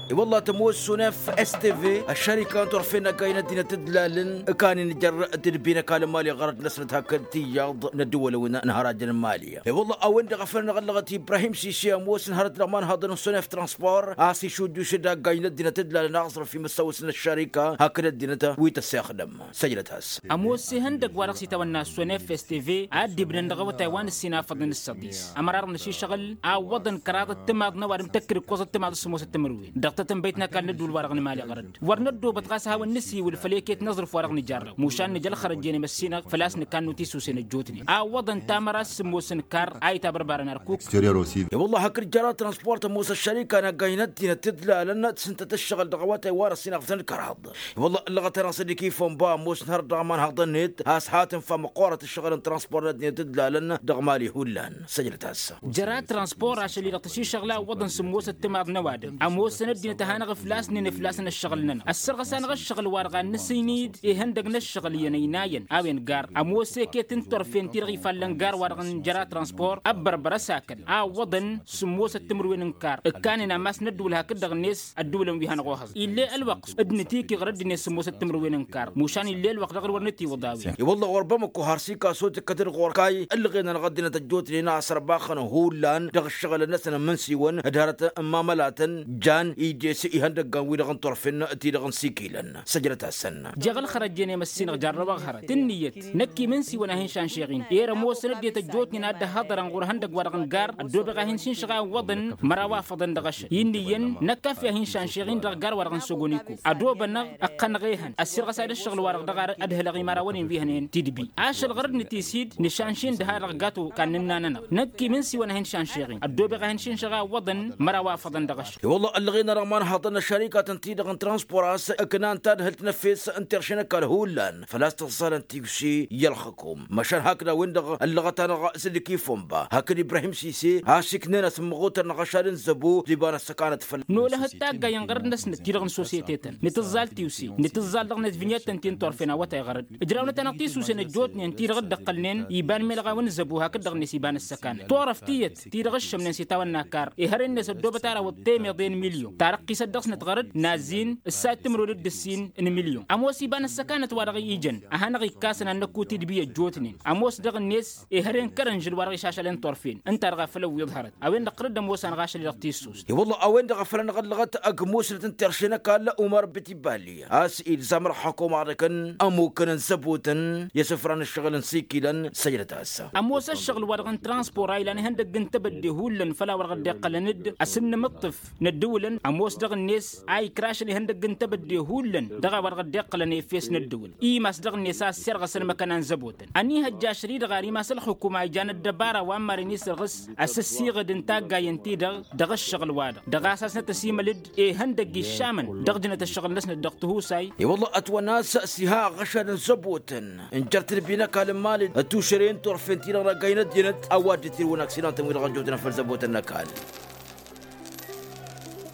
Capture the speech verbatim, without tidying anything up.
I-wălla tămoos sunef stv ăššărika n-turfen n-ăggaynăt dinăt d-lalăn ǝkanen jer-tǝdbi n-ăkall n-mali ɣărăt-năsnăt hakd tiyyăḍ n-ăddǝwălăwăn n-hărajăn n-mali. I-wălla a-wen-dăɣ a făl ănɣăllăɣăt ibrahim sisi ămoosăn hărăt dăɣ-imanhaḍăn n-sunef transpor a-s išujjuš d-ăggaynăt dinăt d-lalăn aẓrǝf imǝssawăs n-ăššărika hakd ăddinăt wi tăssexdăm. Săjdăt-as. Ămoos ihăndăgg wa dăɣ-s itawănna ăssonef stv a dd-ibnăn dăɣ-awătay wa n-ǝssin afăḍăn s-săḍis ămărar n-ašišăɣǝl a ǝwwăḍăn kăraḍăt timaḍ n-ăwadǝm tăkkǝd ǝkkoẓăt timaḍ s-sǝmmosăt timǝrwen dăɣ-tatănbăyt n-ăkall n-ădduul-wa-dăɣ n-mali ɣărăd. Wăr năddoobăt ɣas a hawăn-nǝsiwǝl făll-eket n-aẓrǝf-wa-dăɣ nǝjarrăw mušan nǝja ălxărăt jen i-măssinăɣ făl-a-s nǝkannu tisusen ăjjootnen a ǝwwăḍăn tamăra s-sǝmmos n-kar a itabărbarăn arkuk. I-wălla hakd jăra transport ămoos ăššărika n-ăggaynăt dinăt d-lalăn tǝsǝntăt ǝššăɣǝl dăɣ-awătay wa n-ăssinăɣ făll-kăraḍ. I-wălla ǝllăɣăt-anăɣ s-dd-ikifănba ămoosăn hărăt dăɣ-imanhaḍăn-net a-s ha tǝnfa măqqoorăt ǝššăɣǝl n-transpor n-ăddinăt d-lalăn dăɣ-mali hullan. Săjdăt-as. Jăra transpor ašăl-i-dăɣ tăšišăɣla ǝwwăḍăn sǝmmosăt timaḍ n-ăwadǝm ămoosăn ăddinăt a hanăɣ-ǝflasnen ǝflasăn ǝššăɣǝl-nănăɣ ăssărɣăs-anăɣ ǝššăɣǝl-wa-dăɣ a n-nǝsǝynǝy d-ihăndăgg n-ǝššăɣǝl iyyăn ăynayăn a-wen gar ămoos eket n-turfen-ti-dăɣ ifallăn gar-wa-dăɣ n-jăra transpor ăbbărbăr ăsakăl a ǝwwăḍăn sǝmmosăt timǝrwen n-kar ǝkkanen amas n-ăddǝwǝl hakd-dăɣ-net ăddǝwǝlăn wi hanăɣ-ohăẓ. Ill'-e ălwăqq d-nǝtikǝɣ d-ăddinăt sǝmmosăt timǝrwen n-kar mušan ill'-e ălwăqq dăɣ-dd wăr nǝtiwǝḍ a-wen. I-wălla ɣur-bămăkko har s-ikaso tǝkkăt-dd ɣur-kay ǝlɣenăn ɣăddinăt ăjjootnen a ăsărbaxăn hullan dăɣ-ǝššăɣǝlăn-năsăn n-imǝnsiwăn d-hărăt n-imamălatăn jan ides ihăndăggan-wi-dăɣ n-turfen-ti-dăɣ n-sikilăn. Săjdăt-asăn. Jeɣ ălxărăt jen i-măssinăɣ jarrăwăɣ hărăt ǝnniyăt năkk imǝnsiwăn a hin-šanšeɣ-in. Erămoosăn ăddinăt ăjjootnen a dd-ăhhăḍărăn ɣur-ihăndăgg-wa-dăɣ n-gar ăddoobeɣ a hin-sinšăɣ a ǝwwăḍăn măraw afăḍăn dăɣ-ašăl. Inn'-iyyăn năkk a fi a hin-šanšeɣ-in dăɣ-gar-wa-dăɣ n-sogoniko ădoobănăɣ ǝqqănăɣ ehăn ăssirɣăs-ad ǝššăɣǝl-wa-dăɣ dăɣ-ar ădhǝlăɣ imărawăn-in wi hănen tidbi ašăl ɣărăd nǝtisid nǝšanš-in dăha-dăɣ gato kannǝnna-nănăɣ. Năkk imǝnsiwăn a hin-šanšeɣ-in ăddoobeɣ a hin-sinšăɣ a ǝwwăḍăn măraw afăḍăn dăɣ-ašăl. I-wălla ăllăɣen-anăɣ imanhaḍăn n-ăššărikatăn-ti-dăɣ n-transpor a-s ǝknan tadhǝlt n-efes n-terše n-ăkall hullan făl-a-s tǝẓẓalăn tiwse i-ălxǝkum măšan hakd a-wen-dăɣ ăllăɣăt-anăɣ s-dd-ikifănba hakd ibrahim sise a-s iknen asǝmmăɣutăr n-aɣăšad n-zăbo d-iba n-ăssăkanăt făll-nolăhăt taggay n-ɣărăd-năsnăt ti-dăɣ n-sosiyete-tăn nǝtǝẓẓal tiwse nǝtǝẓẓal dăɣ-net vinyet-tăn ti n-turfen awătay ɣărăd. Ǝjrawnăt-anăɣ tisusen ăjjootnen ti-dăɣ dd-ăqqălnen iba n-imelɣaw n-zăbo hakd-dăɣ-net iba n-ăssăkanăt turăft iyyăt ti-dăɣ ǝššămnen s-itawănna kar ihăr-net ăddoobăt arawăt temeḍe n-milyon tarăqqisăt dăɣ-snăt ɣărăd n-azzin ǝssa d-timǝrwen d-ǝssin n-milyon. Ămoos iba n-ăssăkanăt wa dăɣ-ijăn a hanăɣ-ikkasăn ad-năkku tidbi ăjjootnen ămoos dăɣ-net ihăren kărănžǝl wa dăɣ-išašălen turfen ǝnta-dăɣ a făl ăwwiḍ hărăt. A-wen-dăɣ tărǝd ămoos-anăɣ ašăl i-dăɣ tissust. I-wălla a-wen-dăɣ a făl ănɣăllăɣăt ăgg-musnăt n-terše n-ăkall umar bitibali a-s ilzam ărxăkum aḍăkăn ămukăn n-zăbutăn i-asǝfra n-ǝššăɣǝl n-sikilăn săjdăt-as. Ămoos ăššăɣǝl-wa-dăɣ n-transpor a ilan ihăndăgg n-tebădde hullan făll-a-wa-dăɣ dd-iqqălăn-dd asǝnnǝmǝṭṭǝf n-ăddǝwǝlăn ămoos dăɣ-net a ikrašăn ihăndăgg n-tebădde hullan dăɣ-a-wa-dăɣ dd-iqqălăn efes n-ăddǝwǝl imas dăɣ-net a ăssirɣăsăn măkăna n-zăbotăn. Ăniihăjja ašăl-i-dăɣ ar imas ălxǝkum a ijan ăddăbara wa n-maren isǝrɣǝs asǝssiɣǝd n-taggayen-ti-dăɣ dăɣ-ǝššăɣǝl-wa-dăɣ dăɣ-a-s hasnăt ăsimăl-dd ihăndăgg iššamăn dăɣ-jǝnăt ăššăɣǝl-năsnăt dăɣ-tihusay. I-wălla ătwănna a-s s-iha aɣăšad n-zăbotăn n-jer-tǝdbi n-ăkall n-imali d-tušăre n-turfen-ti-dăɣ n-ăggay n-ăddinăt a-wa dd-itirǝwăn aksidan-tăn wi-dăɣ ăjjootnen făll-zăbotăn n-ăkall.